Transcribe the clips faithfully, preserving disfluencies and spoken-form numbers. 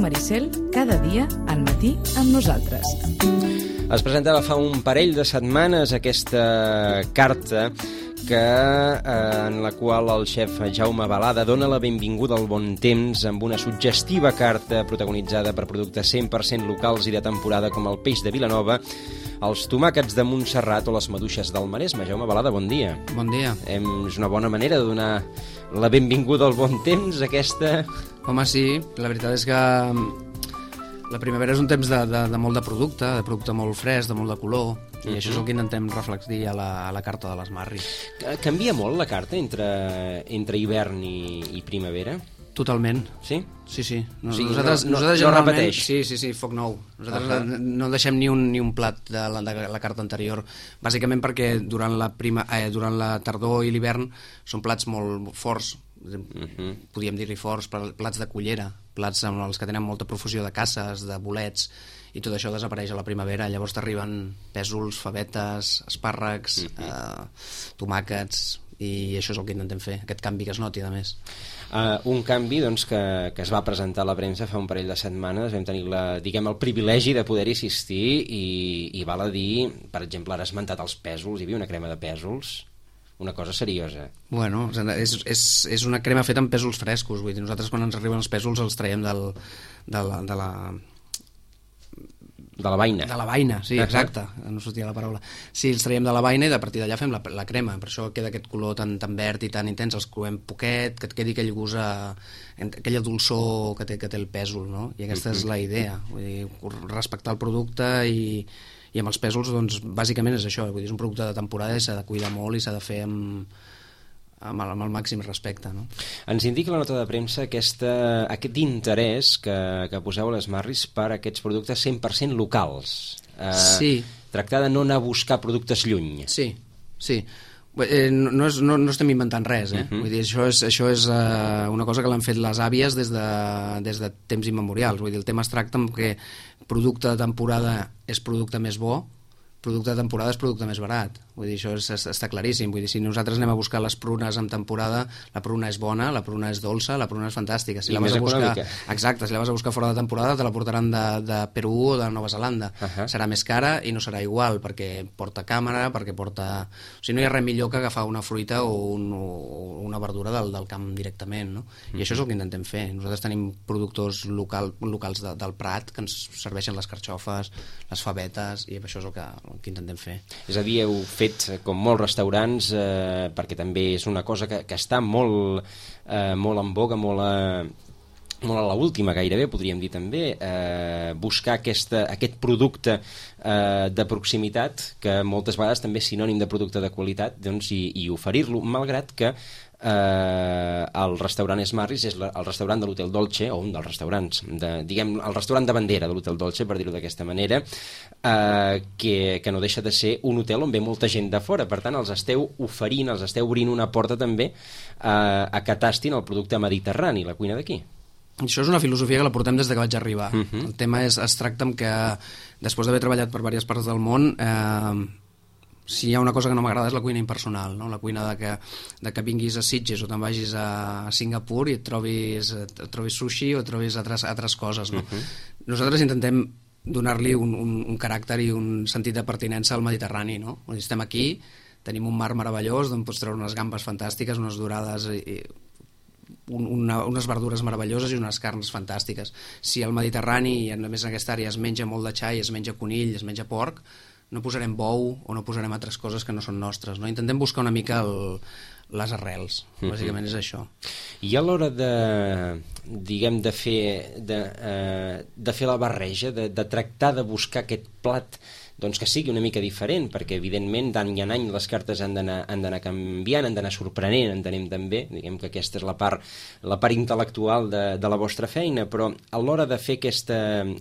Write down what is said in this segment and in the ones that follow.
Maricel, cada dia al matí amb nosaltres. Es presentava fa un parell de setmanes aquesta carta que, eh, en la qual el xef Jaume Balada dona la benvinguda al bon temps amb una suggestiva carta protagonitzada per productes cent per cent locals i de temporada com el peix de Vilanova, els tomàquets de Montserrat o les maduixes del Maresme. Jaume Balada, bon dia. Bon dia. Hem, és una bona manera de donar la benvinguda al bon temps, aquesta... Home, sí, la veritat és que la primavera és un temps de, de, de molt de producte, de producte molt fresc, de molt de color, i uh-huh. això és el que intentem reflectir a la, a la carta de les Marris. Canvia molt la carta entre, entre hivern i, i primavera? Totalment. Sí? Sí, sí. No, o sigui, nosaltres, no, nosaltres no repeteix? Sí, sí, sí, foc nou. Nosaltres uh-huh. no deixem ni un, ni un plat de la, de la carta anterior, bàsicament perquè durant la, prima, eh, durant la tardor i l'hivern són plats molt forts, uh-huh. podríem dir-li forts, plats de cullera, plats amb els que tenen molta profusió de casses, de bolets, i tot això desapareix a la primavera. Llavors t'arriben pèsols, favetes, espàrrecs, uh-huh. eh, tomàquets, i això és el que intentem fer, aquest canvi que es noti, a més. Uh, un canvi doncs, que, que es va presentar a la premsa fa un parell de setmanes. Vam tenir la, diguem, el privilegi de poder-hi assistir i, i val a dir, per exemple, ara has esmentat els pèsols, hi havia una crema de pèsols, una cosa seriosa. Bueno, és, és, és una crema feta amb pèsols frescos, vull dir, nosaltres quan ens arriben els pèsols els traiem del, de la... De la... De la vaina. De la vaina, sí, exacte, no sortia la paraula. Sí, els traiem de la vaina i a partir d'allà fem la, la crema, per això queda aquest color tan, tan verd i tan intens, els coem poquet, que et quedi aquell gust, a, aquella dolçor que té, que té el pèsol, no? I aquesta uh-huh. és la idea, vull dir, respectar el producte i, i amb els pèsols, doncs, bàsicament és això, vull dir, és un producte de temporada i s'ha de cuidar molt i s'ha de fer amb... Amb el, amb el màxim respecte, no? Ens indica la nota de premsa aquesta, aquest interès que, que poseu a les Marris per aquests productes cent per cent locals. Eh, sí. Tractar de no anar a buscar productes lluny. Sí, sí. Eh, no, no, és, no, no estem inventant res, eh? Uh-huh. Vull dir, això és, això és uh, una cosa que l'han fet les àvies des de, des de temps immemorials. Vull dir, el tema es tracta amb que producte de temporada és producte més bo, producte de temporada és producte més barat. Vull dir, això és, està claríssim. Vull dir, si nosaltres anem a buscar les prunes en temporada, la pruna és bona, la pruna és dolça, la pruna és fantàstica. Si I la més vas a buscar... econòmica. Exacte, si la vas a buscar fora de temporada te la portaran de, de Perú o de Nova Zelanda. Uh-huh. Serà més cara i no serà igual, perquè porta càmera, perquè porta... O sigui, no hi ha res millor que agafar una fruita o, un, o una verdura del, del camp directament, no? Uh-huh. I això és el que intentem fer. Nosaltres tenim productors local, locals de, del Prat que ens serveixen les carxofes, les favetes, i això és el que, el que intentem fer. És a dir, heu fet com molts restaurants, eh, perquè també és una cosa que, que està molt, eh, molt en boga, molt a, molt a l'última gairebé, podríem dir també, eh, buscar aquesta, aquest producte eh, de proximitat, que moltes vegades també és sinònim de producte de qualitat, doncs, i, i oferir-lo, malgrat que eh, el restaurant Esmarris és la, el restaurant de l'Hotel Dolce, o un dels restaurants, de, diguem, el restaurant de bandera de l'Hotel Dolce, per dir-ho d'aquesta manera, eh, que, que no deixa de ser un hotel on ve molta gent de fora. Per tant, els esteu oferint, els esteu obrint una porta també eh, a que tastin el producte mediterrani, la cuina d'aquí. Això és una filosofia que la portem des de que vaig arribar. Uh-huh. El tema és, es tracta amb que, després d'haver treballat per diverses parts del món, eh, si hi ha una cosa que no m'agrada és la cuina impersonal, no? La cuina de que, de que vinguis a Sitges o te'n vagis a Singapur i et trobis, et trobis sushi o et trobis altres, altres coses, no? Uh-huh. Nosaltres intentem donar-li un, un, un caràcter i un sentit de pertinença al Mediterrani, no? Estem aquí, tenim un mar meravellós d'on pots treure unes gambes fantàstiques, unes dorades i, i una, unes verdures meravelloses i unes carns fantàstiques. Si al Mediterrani, i a més en aquesta àrea, es menja molt de xai, es menja conill, es menja porc, no posarem bou o no posarem altres coses que no són nostres, no? Intentem buscar una mica el, les arrels, bàsicament és això. I a l'hora de, diguem, de fer de, eh, de fer la barreja, de, de tractar de buscar aquest plat doncs que sigui una mica diferent, perquè evidentment d'any en any les cartes han d'anar canviant, han d'anar sorprenent, entenem també, diguem que aquesta és la part, la part intel·lectual de, de la vostra feina, però a l'hora de fer aquesta,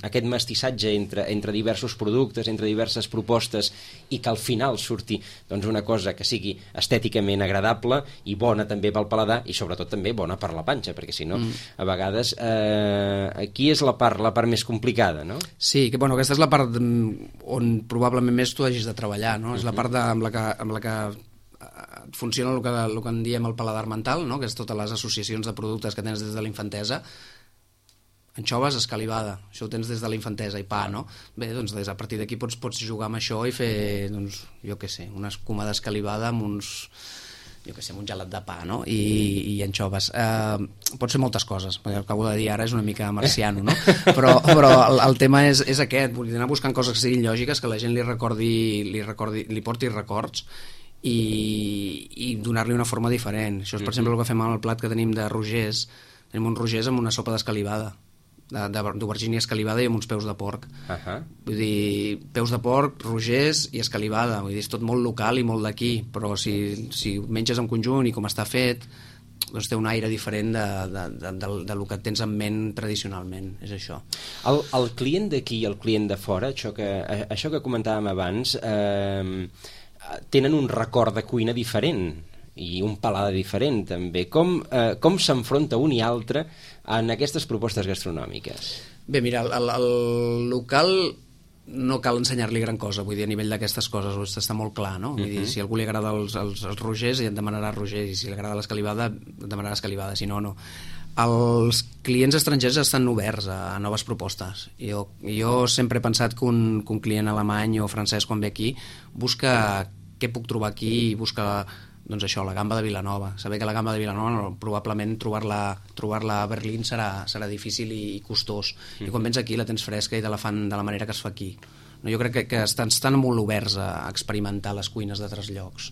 aquest mestissatge entre, entre diversos productes, entre diverses propostes, i que al final surti doncs, una cosa que sigui estèticament agradable i bona també pel paladar, i sobretot també bona per la panxa, perquè si no, mm. a vegades eh, aquí és la part, la part més complicada, no? Sí, que bueno, aquesta és la part on probablement més tu hagis de treballar, no? Uh-huh. És la part de, amb, la que, amb la que funciona el que, el que en diem el paladar mental, no? Que és totes les associacions de productes que tens des de la infantesa. Anxoves, escalivada, això ho tens des de la infantesa, i pa, no? Bé, doncs des, a partir d'aquí pots, pots jugar amb això i fer, doncs, jo què sé, una escuma d'escalivada amb uns... jo què sé, un gelat de pa, no? I, i anxoves. Eh, pot ser moltes coses, perquè el que acabo de dir ara és una mica marciano, no? Però, però el, el tema és, és aquest, vull dir, anar buscant coses que siguin lògiques, que la gent li recordi, li, recordi, li porti records i, i donar-li una forma diferent. Això és, per exemple, el que fem amb el plat que tenim de rogers. Tenim un rogers amb una sopa d'escalivada, d'aubergínia escalivada i amb uns peus de porc. Uh-huh. Vull dir, peus de porc, rogers i escalivada. Vull dir, és tot molt local i molt d'aquí, però si, si menges en conjunt i com està fet, doncs té un aire diferent de, de, de, de, de lo que tens en ment tradicionalment, és això. El, el client d'aquí i el client de fora, això que, això que comentàvem abans, eh, tenen un record de cuina diferent i un paladar diferent també. Com, eh, com s'enfronta un i altre en aquestes propostes gastronòmiques? Bé, mira, el, el local no cal ensenyar-li gran cosa, vull dir, a nivell d'aquestes coses està molt clar, no? Vull dir, si a algú li agrada els, els, els rogers, et demanarà rogers, i si li agrada l'escalivada, et demanarà escalivada, si no, no. Els clients estrangers estan oberts a, a noves propostes. Jo, jo sempre he pensat que un, que un client alemany o francès, quan ve aquí, busca què puc trobar aquí i busca, doncs això, la gamba de Vilanova. Saber que la gamba de Vilanova no, probablement trobar-la trobar-la a Berlín serà, serà difícil i, i costós. Mm. I quan vens aquí la tens fresca i te la fan de la manera que es fa aquí. No, jo crec que, que estan, estan molt oberts a experimentar les cuines d'altres llocs.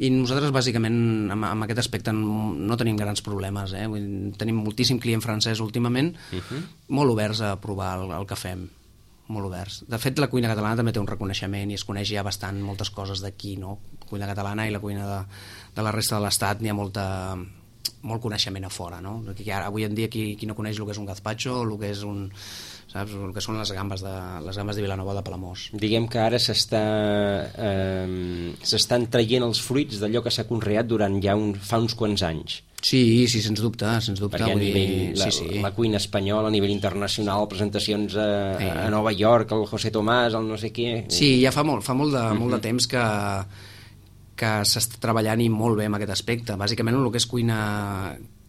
I nosaltres, bàsicament, amb, amb aquest aspecte no tenim grans problemes. Eh? Vull dir, tenim moltíssim client francès últimament, uh-huh. molt oberts a provar el, el que fem. Molt oberts. De fet, la cuina catalana també té un reconeixement i es coneix ja bastant moltes coses d'aquí, no? La cuina catalana i la cuina de, de la resta de l'estat n'hi ha molta, molt coneixement a fora, no? Ara, avui en dia, qui, qui no coneix el que és un gazpacho o el que és un... saps? El que són les gambes de, les gambes de Vilanova de Palamós. Diguem que ara s'està eh, s'estan traient els fruits d'allò que s'ha conreat durant ja un, fa uns quants anys. Sí, sí, sens dubte, sens dubte. Perquè a nivell, dir, la, sí, sí. la cuina espanyola, a nivell internacional, presentacions a, sí. a Nova York, el José Tomàs, el no sé què... Sí, ja fa molt, fa molt, de, uh-huh. molt de temps que, que s'està treballant i molt bé amb aquest aspecte. Bàsicament el que és cuina,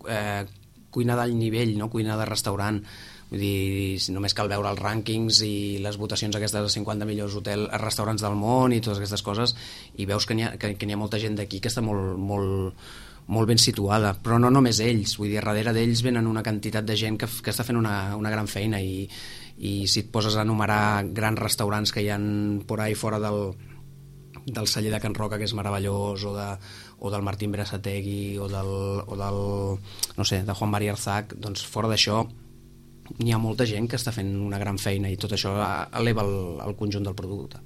eh, cuina d'alt nivell, no? Cuina de restaurant. Vull dir, només cal veure els rànquings i les votacions aquestes de cinquanta millors hotels, restaurants del món i totes aquestes coses, i veus que n'hi ha, que, que n'hi ha molta gent d'aquí que està molt... molt molt ben situada, però no només ells, vull dir, darrere d'ells venen una quantitat de gent que, que està fent una, una gran feina i, i si et poses a enumerar grans restaurants que hi ha por ahí fora del, del celler de Can Roca, que és meravellós, o, de, o del Martín Berasategui o del, o del no sé, de Juan María Arzac, doncs fora d'això n'hi ha molta gent que està fent una gran feina i tot això eleva el, el conjunt del producte.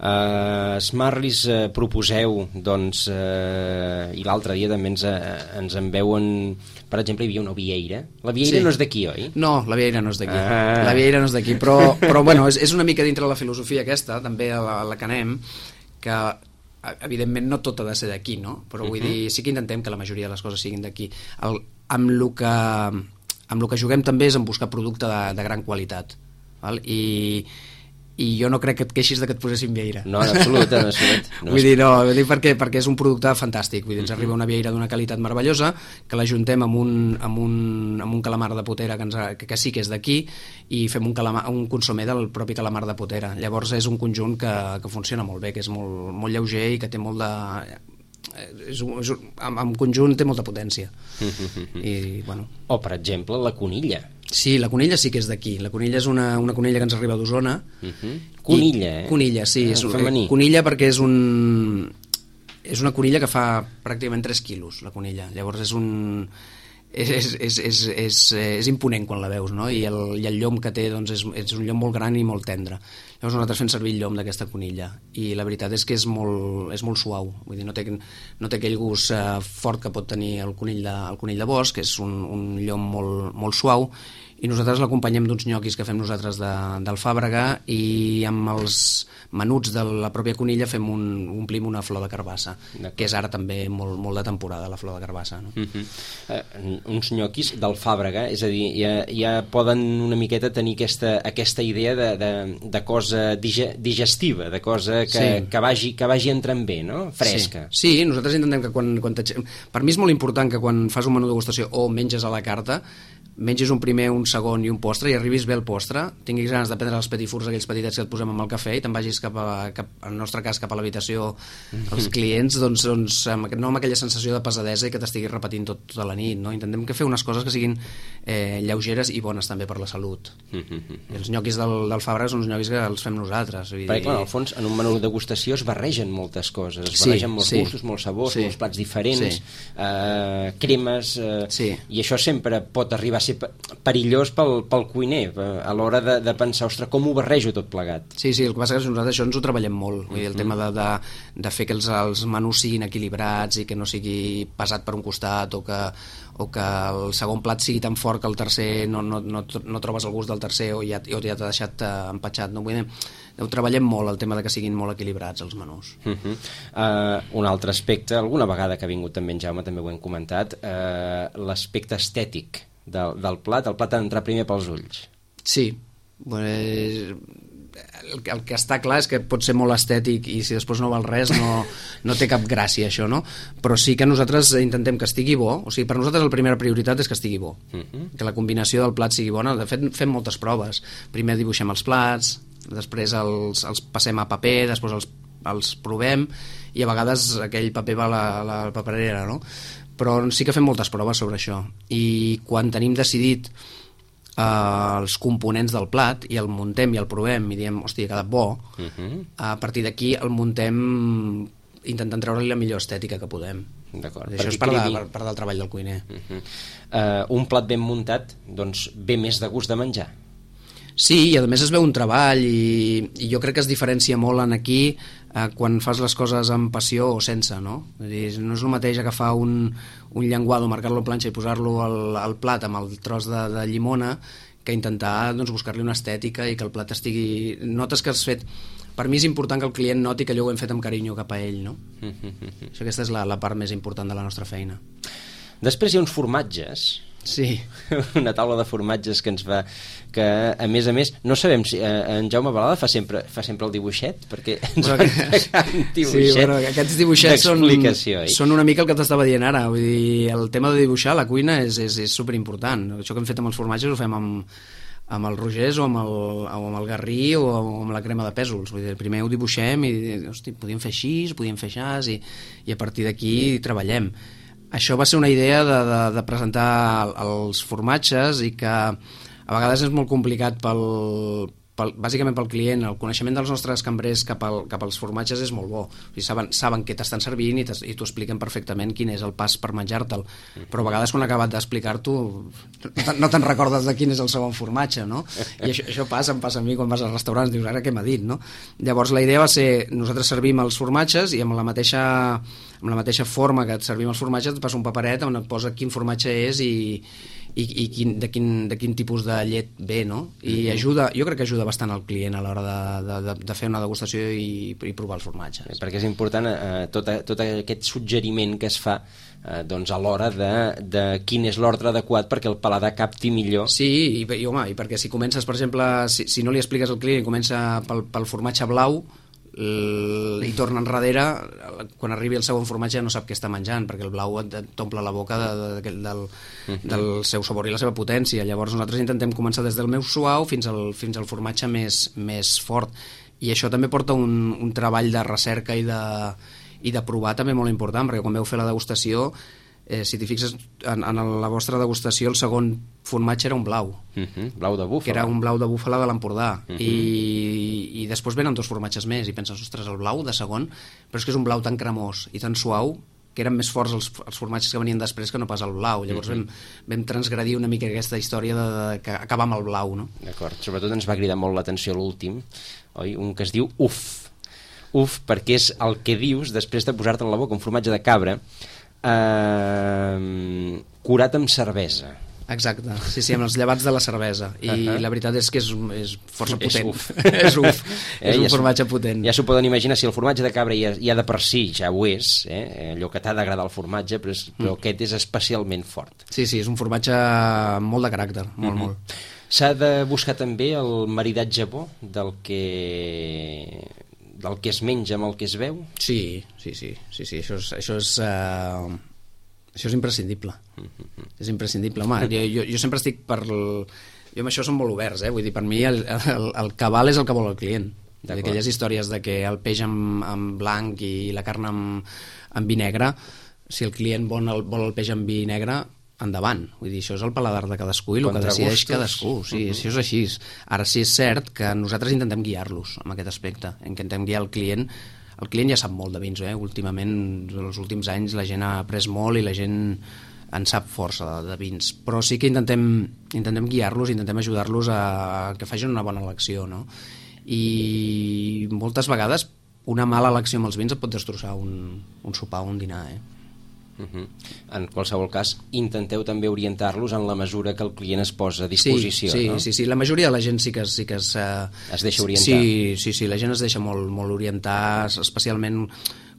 Uh, Smarlis uh, proposeu doncs, uh, i l'altre dia també ens, uh, ens en veuen, per exemple, hi havia una vieira. La vieira sí. no és d'aquí, oi? No, la vieira no és d'aquí, ah. la vieira no és d'aquí, però, però bueno, és, és una mica dintre la filosofia aquesta, també a la, a la que anem, que evidentment no tot ha de ser d'aquí, no? Però vull uh-huh. dir, sí que intentem que la majoria de les coses siguin d'aquí. El, amb el que amb el que juguem també és en buscar producte de, de gran qualitat, val? I i jo no crec que et queixis de que et posessin vieira. No, en absolut, en absolut. No vull dir, no, vull dir perquè, perquè és un producte fantàstic. Vull dir, ens arriba una vieira d'una qualitat meravellosa, que l'ajuntem amb un, amb, un, amb un calamar de potera que, ens, que, que sí que és d'aquí, i fem un, calamar, un consomé del propi calamar de potera. Llavors és un conjunt que, que funciona molt bé, que és molt, molt lleuger i que té molt de... És, és, en, en conjunt té molta potència. I, bueno. O, per exemple, la conilla. Sí, la conilla sí que és d'aquí. La conilla és una, una conilla que ens arriba d'Osona. Uh-huh. Conilla, eh? Conilla, sí. Ah, és, femení. Conilla perquè és un... És una conilla que fa pràcticament tres quilos, la conilla. Llavors és un... és, és, és, és, és, és imponent quan la veus, no? I el, i el llom que té doncs, és, és un llom molt gran i molt tendre. Llavors nosaltres fem servir el llom d'aquesta conilla i la veritat és que és molt, és molt suau, vull dir, no té, no té aquell gust eh, fort que pot tenir el conill de, el conill de bosc, que és un, un llom molt, molt suau, i nosaltres l'acompanyem d'uns nyoquis que fem nosaltres de, d'alfàbrega i amb els menuts de la pròpia conilla fem un, omplim una flor de carbassa, que és ara també molt, molt de temporada, la flor de carbassa, no? Uh-huh. uh, uns nyoquis d'alfàbrega, és a dir, ja, ja poden una miqueta tenir aquesta, aquesta idea de, de, de cosa dige, digestiva, de cosa que, sí. que, vagi, que vagi entrant bé, no? Fresca. Sí, sí, nosaltres intentem que quan, quan per mi és molt important que quan fas un menú de degustació o menges a la carta, menges un primer, un segon i un postre i arribis bé al postre, tinguis ganes de prendre els petifurs aquells petitets que et posem amb el cafè i te'n vagis cap, a, cap en el nostre cas cap a l'habitació als clients, doncs, doncs amb, no amb aquella sensació de pesadesa i que t'estiguis repetint tot, tota la nit, no? Intentem que fer unes coses que siguin eh, lleugeres i bones també per la salut. I els nyoquis del, del Fabra són uns nyoquis que els fem nosaltres. Vull dir... Perquè, clar, al fons, en un menú de degustació es barregen moltes coses, es barregen sí, molts sí. gustos, molts sabors, sí. molts plats diferents, sí. eh, cremes, eh, sí. i això sempre pot arribar a ser perillós pel, pel cuiner a l'hora de, de pensar, ostres, com ho barrejo tot plegat. Sí, sí, el que passa és que nosaltres això ens ho treballem molt, vull dir, el mm. tema de, de, de fer que els, els menús siguin equilibrats i que no sigui pesat per un costat o que, o que el segon plat sigui tan fort que el tercer no, no, no, no trobes el gust del tercer o ja, o ja t'ha deixat uh, empatxat, no? Vull dir, ho treballem molt, el tema de que siguin molt equilibrats els menús. Uh -huh. uh, un altre aspecte, alguna vegada que ha vingut també en Jaume, també ho hem comentat, uh, l'aspecte estètic del, del plat, el plat ha d'entrar primer pels ulls. Sí, bueno, el, el que està clar és que pot ser molt estètic i si després no val res no, no té cap gràcia això, no? Però sí que nosaltres intentem que estigui bo, o sigui, per nosaltres la primera prioritat és que estigui bo, uh-huh. que la combinació del plat sigui bona. De fet fem moltes proves, primer dibuixem els plats, després els, els passem a paper, després els, els provem i a vegades aquell paper va a la, a la paperera, no? Però sí que fem moltes proves sobre això i quan tenim decidit eh, els components del plat i el muntem i el provem i diem, hòstia, ha quedat bo, uh-huh. a partir d'aquí el muntem intentant treure-li la millor estètica que podem. D'acord. Això és part, de, part, part del treball del cuiner. Uh-huh. uh, un plat ben muntat doncs ve més de gust de menjar. Sí, i a més es veu un treball i, i jo crec que es diferencia molt en aquí eh, quan fas les coses amb passió o sense, no? És dir, no és el mateix agafar un, un llenguado, marcar-lo a planxa i posar-lo al, al plat amb el tros de, de llimona que intentar doncs, buscar-li una estètica i que el plat estigui... Notes que has fet... Per mi és important que el client noti que allò ho hem fet amb carinyo cap a ell, no? Això, aquesta és la, la part més important de la nostra feina. Després hi ha uns formatges. Sí. Una taula de formatges que ens va... que a més a més no sabem si eh, en Jaume Balada fa sempre, fa sempre el dibuixet perquè ens va entregar un dibuixet, sí, bueno, aquests dibuixets són, eh? són una mica el que t'estava dient ara, vull dir, el tema de dibuixar a la cuina és, és, és superimportant. Això que hem fet amb els formatges ho fem amb, amb el rogers o amb el, o amb el garrí o amb la crema de pèsols. Vull dir, primer ho dibuixem i hosti, podíem fer així, podíem fer així i, i a partir d'aquí treballem. Això va ser una idea de, de, de presentar els formatges i que a vegades és molt complicat pel, pel, bàsicament pel client. El coneixement dels nostres cambrers cap, al, cap als formatges és molt bo. O sigui, saben, saben què t'estan servint i, i t'ho expliquen perfectament quin és el pas per menjar-te'l. Però a vegades quan ha acabat d'explicar-t'ho no te'n recordes de quin és el segon formatge, no? I això, això passa, em passa a mi quan vas als restaurants, dius, ara què m'ha dit, no? Llavors la idea va ser, nosaltres servim els formatges i amb la mateixa amb la mateixa forma que et servim els formatges et passa un paperet on et posa quin formatge és i, i, i quin, de, quin, de quin tipus de llet ve, no? I ajuda, jo crec que ajuda bastant al client a l'hora de, de, de fer una degustació i, i provar els formatges. Perquè és important eh, tot, tot aquest suggeriment que es fa eh, doncs a l'hora de, de quin és l'ordre adequat perquè el paladar capti millor. Sí, i, i, home, i perquè si comences, per exemple, si, si no li expliques al client i comença pel, pel formatge blau i torna enrere, quan arribi el segon formatge no sap què està menjant perquè el blau t'omple la boca de, de, de, del, del seu sabor i la seva potència. Llavors nosaltres intentem començar des del més suau fins al, fins al formatge més, més fort i això també porta un, un treball de recerca i de, i de provar també molt important, perquè quan veu fer la degustació eh, si t'hi fixes en, en la vostra degustació el segon formatge era un blau uh-huh. blau de búfala, que era un blau de búfala de l'Empordà uh-huh. I, i després venen dos formatges més i penses, ostres, el blau de segon però és que és un blau tan cremós i tan suau que eren més forts els, els formatges que venien després que no pas el blau. Llavors mm-hmm. vam, vam transgredir una mica aquesta història de, de, que acaba amb el blau, no? D'acord. Sobretot ens va cridar molt l'atenció l'últim, oi? Un que es diu Uf. Uf, perquè és el que dius després de posar-te en la boca un formatge de cabra eh, curat amb cervesa. Exacte, sí, sí, amb els llevats de la cervesa. I uh-huh. la veritat és que és, és força potent. És uf. és uf. Eh, és un ja formatge potent. Ja s'ho poden imaginar, si el formatge de cabra ja, ja de per si ja ho és, eh? Allò que t'ha d'agradar el formatge, però, és, però mm. aquest és especialment fort. Sí, sí, és un formatge molt de caràcter, molt, mm-hmm. molt. S'ha de buscar també el maridatge bo del que... del que es menja amb el que es veu? Sí, sí, sí, sí, sí. Això és... Això és uh... Això és imprescindible. Mm-hmm. És imprescindible. Home, jo, jo, jo sempre estic per... El... Jo amb això som molt oberts, eh? Vull dir, per mi el, el, el cabal és el que vol el client. Aquelles històries de que el peix amb, amb blanc i la carn amb, amb vi negre, si el client vol el, vol el peix amb vi negre, endavant. Vull dir, això és el paladar de cadascú i el que decideix cadascú. Sí, uh-huh. Això és així. Ara sí és cert que nosaltres intentem guiar-los en aquest aspecte. Intentem guiar el client. El client ja sap molt de vins, eh? Últimament, els últims anys, la gent ha après molt i la gent en sap força de, de vins. Però sí que intentem, intentem guiar-los, intentem ajudar-los a, a que facin una bona elecció, no? I moltes vegades una mala elecció amb els vins et pot destrossar un, un sopar o un dinar, eh? Uh-huh. En qualsevol cas, intenteu també orientar-los en la mesura que el client es posa a disposició, sí, sí, no? Sí, sí, la majoria de la gent sí que, sí que es... Uh, es deixa orientar. Sí, sí, sí, la gent es deixa molt, molt orientar, especialment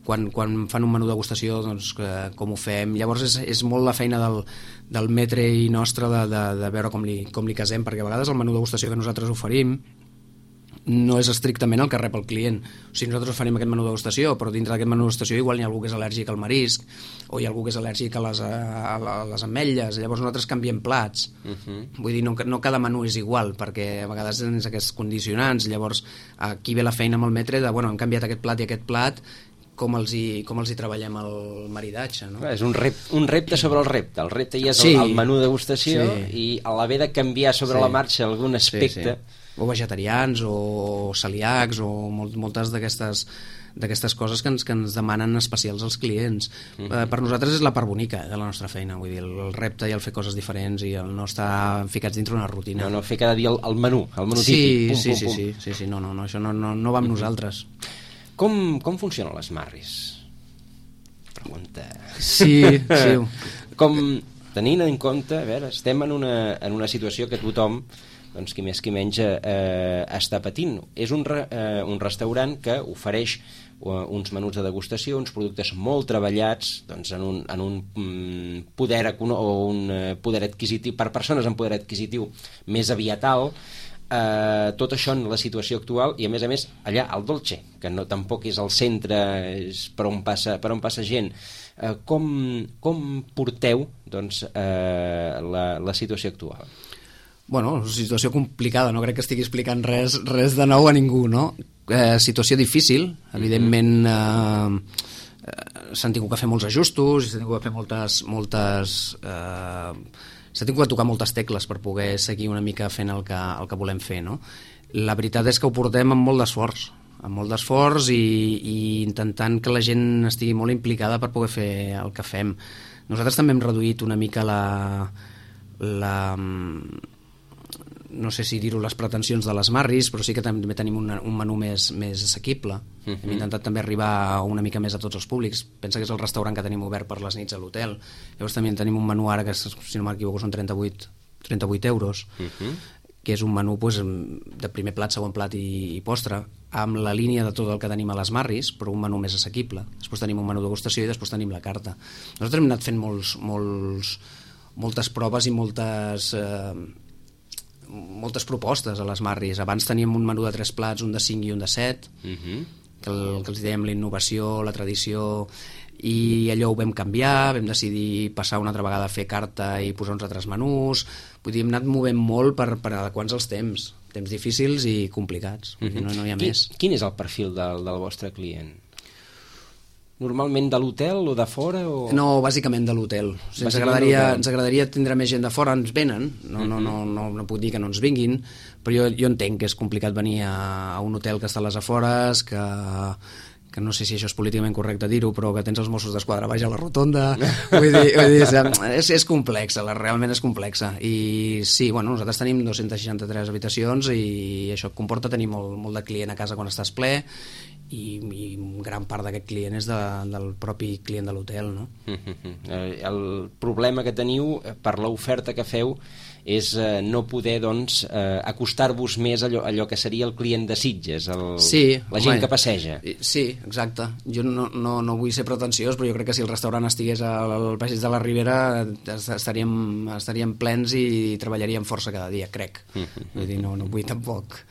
quan, quan fan un menú degustació, doncs, que, com ho fem. Llavors és, és molt la feina del, del metre i nostre de, de, de veure com li, com li casem, perquè a vegades el menú degustació que nosaltres oferim no és estrictament el que rep el client. O sigui, nosaltres oferim aquest menú degustació, però dintre d'aquest menú degustació igual hi ha algú que és al·lèrgic al marisc, o hi ha algú que és al·lèrgic a les, a, a les ametlles, llavors nosaltres canviem plats. Uh-huh. Vull dir, no, no cada menú és igual, perquè a vegades tens aquests condicionants, llavors aquí ve la feina amb el metre de, bueno, hem canviat aquest plat i aquest plat, com els hi, com els hi treballem el maridatge, no? És un, rep, un repte sobre el repte. El repte ja és sí. el, el menú degustació sí. i a l'haver de canviar sobre sí. la marxa algun aspecte... Sí, sí. O vegetarians, o celíacs, o molt, moltes d'aquestes d'aquestes coses que ens, que ens demanen especials als clients. Mm-hmm. Eh, per nosaltres és la part bonica de la nostra feina, vull dir, el, el repte i el fer coses diferents i el no estar ficats dintre una rutina. No, no, fer cada dia el, el menú, el menú sí, típic. Pum, sí, pum, sí, pum. sí, sí, sí, no, no, no, això no, no, no va amb mm-hmm. nosaltres. Com, com funcionen les marris? Pregunta. Sí, sí. Com, tenint en compte, a veure, estem en una, en una situació que tothom, doncs qui més qui menys eh, està patint. És un, re, eh, un restaurant que ofereix uh, uns menús de degustació, uns productes molt treballats doncs, en un, en un mm, poder econo- o un uh, poder adquisitiu, per persones amb poder adquisitiu més aviat alt, eh, tot això en la situació actual i a més a més allà al Dolce, que no, tampoc és el centre, és per on passa, per on passa gent. Eh, com, com porteu doncs, eh, la, la situació actual? Bueno, situació complicada, no crec que estigui explicant res, res de nou a ningú, no? Eh, situació difícil, evidentment eh, eh, s'han tingut que fer molts ajustos, s'han tingut que fer moltes... moltes eh, s'ha tingut que tocar moltes tecles per poder seguir una mica fent el que, el que volem fer, no? La veritat és que ho portem amb molt d'esforç, amb molt d'esforç i, i intentant que la gent estigui molt implicada per poder fer el que fem. Nosaltres també hem reduït una mica la... la no sé si dir-ho les pretensions de les marris, però sí que també tenim un, un menú més, més assequible. Uh-huh. Hem intentat també arribar una mica més a tots els públics. Pensa que és el restaurant que tenim obert per les nits a l'hotel. Llavors també tenim un menú ara que, si no m'equivoco, són trenta-vuit euros, uh-huh. que és un menú pues, de primer plat, segon plat i, i postre, amb la línia de tot el que tenim a les marris, però un menú més assequible. Després tenim un menú de degustació i després tenim la carta. Nosaltres hem anat fent molts, molts, moltes proves i moltes... Eh, moltes propostes a les marris. Abans teníem un menú de tres plats, un de cinc i un de set, uh-huh. que, el, que els dèiem la innovació, la tradició, i allò ho vam canviar, vam decidir passar una altra vegada a fer carta i posar uns altres menús. Vull dir, hem anat movent molt per, per adequar-nos als temps, temps difícils i complicats. Uh-huh. no, no hi ha Qui, més. Quin és el perfil del, del vostre client? Normalment de l'hotel o de fora? O... No, bàsicament de l'hotel. O sigui, ens, agradaria, ens agradaria tindre més gent de fora, ens venen, no, no, no, no, no puc dir que no ens vinguin, però jo, jo entenc que és complicat venir a, a un hotel que està a les afores, que, que no sé si això és políticament correcte dir-ho, però que tens els Mossos d'Esquadra baix a la rotonda, vull dir, vull dir és, és complexa, realment és complexa, i sí, bueno, nosaltres tenim dos-centes seixanta-tres habitacions i això comporta tenir molt, molt de client a casa quan estàs ple, i, i gran part d'aquest client és de, del propi client de l'hotel, no? El problema que teniu per l'oferta que feu és eh, no poder, doncs, eh, acostar-vos més a allò, allò que seria el client de Sitges, el, sí, la gent home, que passeja. Sí, exacte. Jo no, no, no vull ser pretensiós, però jo crec que si el restaurant estigués al passeig de la Ribera estaríem, estaríem plens i treballaríem força cada dia, crec. Vull dir, no, no vull tampoc...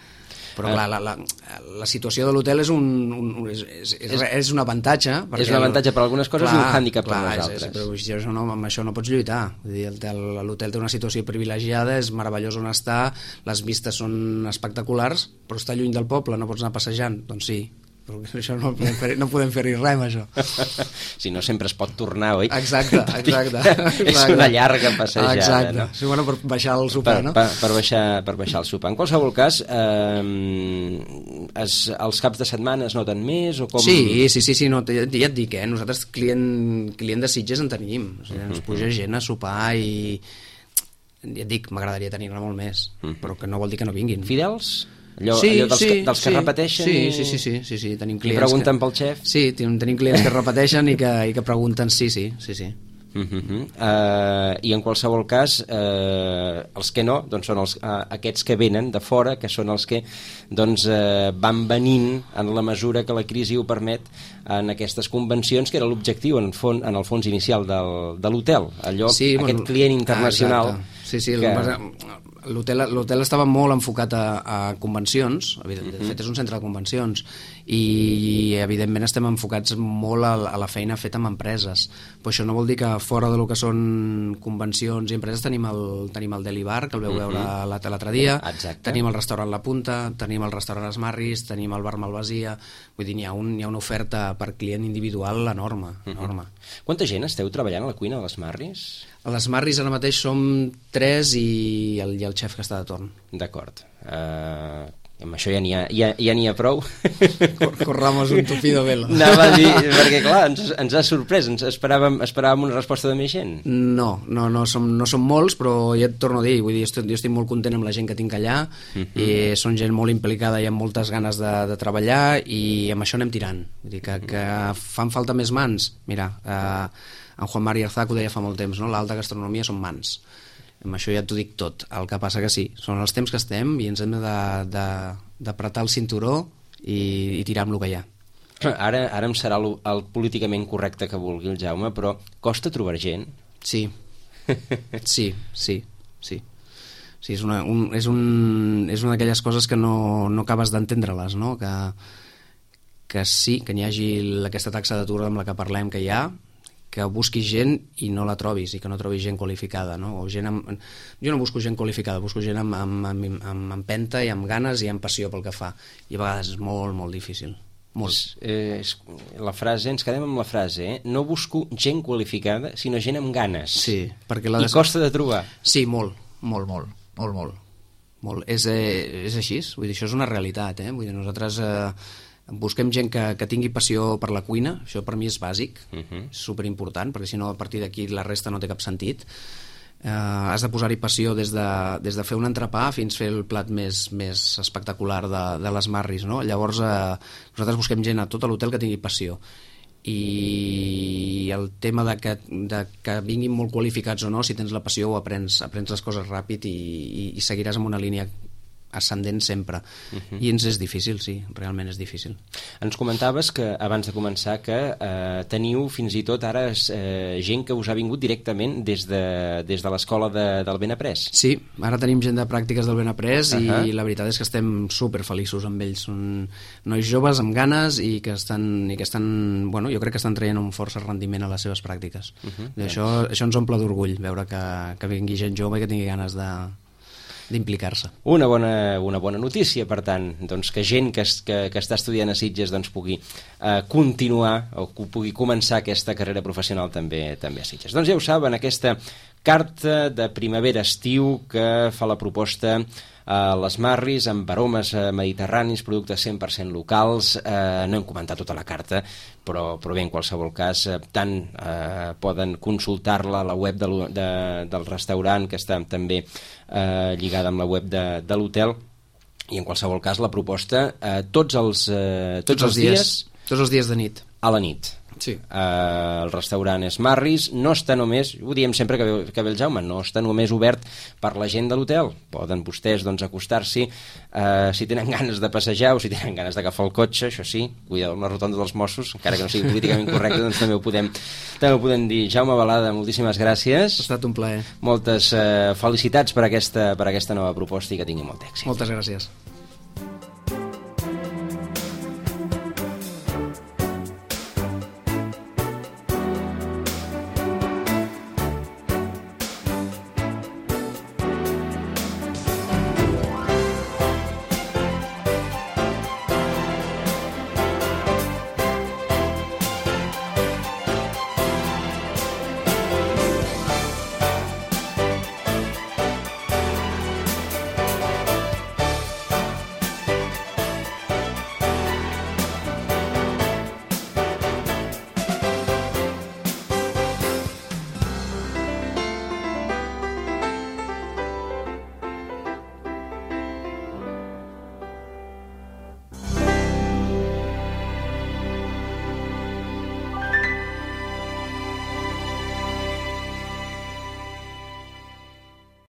Però clar, la, la, la situació de l'hotel és un, un, és, és, és, és un avantatge. És un avantatge per algunes coses clar, i un hàndicap per les altres. És, però això no, amb això no pots lluitar. Vull dir, l'hotel té una situació privilegiada, és meravellós on està, les vistes són espectaculars, però està lluny del poble, no pots anar passejant. Doncs sí, però això no podem fer, no podem fer-hi res amb això. Si no, sempre es pot tornar, oi? Exacte, exacte. És una llarga passejada. Exacte, no? sí, bueno, per baixar el sopar, per, no? Per, per, baixar, per baixar el sopar. En qualsevol cas, eh, es, els caps de setmana es noten més o com? Sí, sí, sí, sí no, ja, ja et dic, eh? Nosaltres client, client de Sitges en tenim, o sigui, ens puja gent a sopar i ja et dic, m'agradaria tenir-ne molt més, però que no vol dir que no vinguin. Fidels? Allò, sí, allò dels, sí, que, dels que sí, repeteixen sí, i... sí, sí, sí, sí, sí, tenim clients i pregunten que... pel xef? Sí, tenim, tenim clients que repeteixen i que, i que pregunten, sí, sí, sí, sí. Uh -huh. uh, i en qualsevol cas uh, els que no doncs són els, uh, aquests que venen de fora, que són els que doncs, uh, van venint en la mesura que la crisi ho permet en aquestes convencions, que era l'objectiu en, fon, en el fons inicial del, de l'hotel, allò, sí, aquest bueno, client internacional. Ah, sí, sí, que... l'hotel estava molt enfocat a, a convencions, de fet és un centre de convencions, i evidentment estem enfocats molt a, a la feina feta amb empreses, però això no vol dir que fora de lo que són convencions i empreses tenim el, tenim el Deli Bar, que el veu veure l'altre dia. Exacte. Tenim el restaurant La Punta, tenim el restaurant Esmarris, tenim el bar Malvasia, vull dir, n'hi ha, un, hi ha una oferta per client individual enorme, enorme. Quanta gent esteu treballant a la cuina de l'Esmarris? A l'Esmarris ara mateix som tres i el, i el xef que està de torn. D'acord. Uh, amb això ja n'hi ha, ja, ja n'hi ha prou. Corramos un tupido velo. Anava a dir, perquè clar, ens, ens ha sorprès, ens esperàvem, esperàvem una resposta de més gent. No, no, no, som, no som molts, però ja et torno a dir, vull dir, estic, jo estic molt content amb la gent que tinc allà, uh-huh. i són gent molt implicada i amb moltes ganes de, de treballar, i amb això anem tirant. Vull dir que, que fan falta més mans. Mira, eh, en Juan Mari Arzac ho deia fa molt temps, no? L'alta gastronomia són mans. Amb això ja t'ho dic tot. El que passa que sí, són els temps que estem i ens hem d'apretar el cinturó i, i tirar amb el que hi ha. Ara, ara em serà el, el políticament correcte que vulgui el Jaume, però costa trobar gent? Sí, sí, sí, sí. Sí, és una, un, és un, és una d'aquelles coses que no, no acabes d'entendre-les, no? Que, que sí, que n'hi hagi aquesta taxa d'atur amb la que parlem que hi ha, que busquis gent i no la trobis, i que no trobis gent qualificada, no? O gent amb... Jo no busco gent qualificada, busco gent amb, amb, amb, amb empenta i amb ganes i amb passió pel que fa, i a vegades és molt, molt difícil. Molt. És, eh, és, la frase, ens quedem amb la frase, eh? No busco gent qualificada, sinó gent amb ganes. Sí, perquè la I des... costa de trobar. Sí, molt, molt, molt, molt, molt. molt. És, eh, és així, vull dir, això és una realitat, eh? Vull dir, nosaltres... Eh, busquem gent que, que tingui passió per la cuina, això per mi és bàsic, uh-huh. és superimportant, perquè si no a partir d'aquí la resta no té cap sentit. Eh, has de posar-hi passió des de, des de fer un entrepà fins fer el plat més, més espectacular de, de les Marris, no? Llavors eh, nosaltres busquem gent a tot l'hotel que tingui passió, i el tema de que, de que vinguin molt qualificats o no, si tens la passió ho aprens, aprens les coses ràpid i, i, i seguiràs amb una línia ascendent sempre, uh-huh. i ens és difícil, sí, realment és difícil. Ens comentaves que abans de començar que eh, teniu fins i tot ara eh, gent que us ha vingut directament des de, des de l'escola de, del Benaprés. Sí, ara tenim gent de pràctiques del Benaprés, uh-huh. i la veritat és que estem super feliços amb ells, són nois joves amb ganes i que estan, i que estan bueno, jo crec que estan traient un força rendiment a les seves pràctiques, uh-huh. i això, això ens omple d'orgull, veure que, que vingui gent jove i que tingui ganes de d'implicar-se. Una bona, una bona notícia, per tant, doncs que gent que, que, que està estudiant a Sitges doncs pugui eh, continuar o pugui començar aquesta carrera professional també també a Sitges. Doncs ja ho saben, aquesta carta de primavera-estiu que fa la proposta a les Marris, amb aromes mediterranis, productes cent per cent locals. Eh, no hem comentat tota la carta, però, però bé, en qualsevol cas, eh, tant eh, poden consultar-la a la web de, de, del restaurant, que està també eh, lligada amb la web de, de l'hotel, i en qualsevol cas la proposta eh, tots els, eh, tots, tots els dies, dies tots els dies de nit a la nit. Sí. Uh, el restaurant és Marris, no està només, ho diem sempre que ve, que ve el Jaume, no està només obert per la gent de l'hotel. Poden vostès doncs, acostar-s'hi uh, si tenen ganes de passejar o si tenen ganes d'agafar el cotxe, això sí, cuidado amb la rotonda dels Mossos, encara que no sigui políticament correcte, doncs també ho podem, també ho podem dir. Jaume Balada, moltíssimes gràcies. Ha estat un plaer. Moltes uh, felicitats per aquesta, per aquesta nova proposta i que tingui molt èxit. Moltes gràcies.